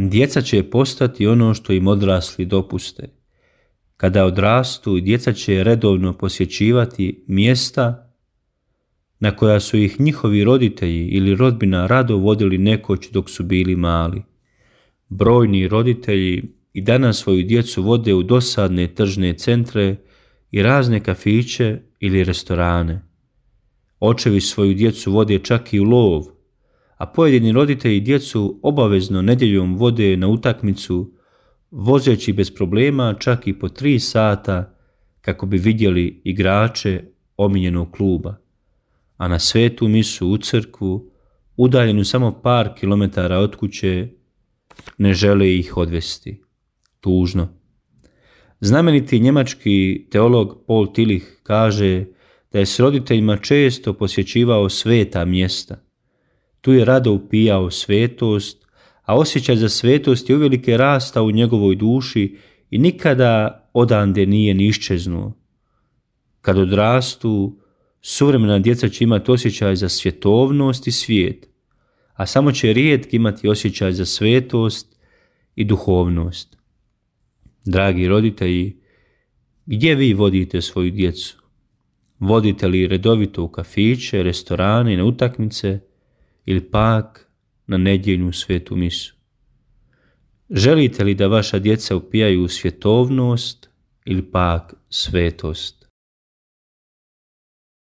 Djeca će postati ono što im odrasli dopuste. Kada odrastu, djeca će redovno posjećivati mjesta na koja su ih njihovi roditelji ili rodbina rado vodili nekoć dok su bili mali. Brojni roditelji i danas svoju djecu vode u dosadne tržne centre i razne kafiće ili restorane. Očevi svoju djecu vode čak i u lov, a pojedini roditelji djecu obavezno nedjeljom vode na utakmicu, vozeći bez problema čak i po 3 sata kako bi vidjeli igrače omiljenog kluba, a na svetu misu u crkvu, udaljenu samo par kilometara od kuće, ne žele ih odvesti. Tužno. Znameniti njemački teolog Paul Tillich kaže da je s roditeljima često posjećivao sveta mjesta. Tu je rado upijao svetost, a osjećaj za svetost je uvelike rastao u njegovoj duši i nikada odande nije ni iščeznuo. Kad odrastu, suvremena djeca će imati osjećaj za svjetovnost i svijet, a samo će rijetki imati osjećaj za svetost i duhovnost. Dragi roditelji, gdje vi vodite svoju djecu? Vodite li redovito u kafiće, restorane i na utakmice ili pak na nedjeljnu svetu misu? Želite li da vaša djeca upijaju svjetovnost ili pak svetost?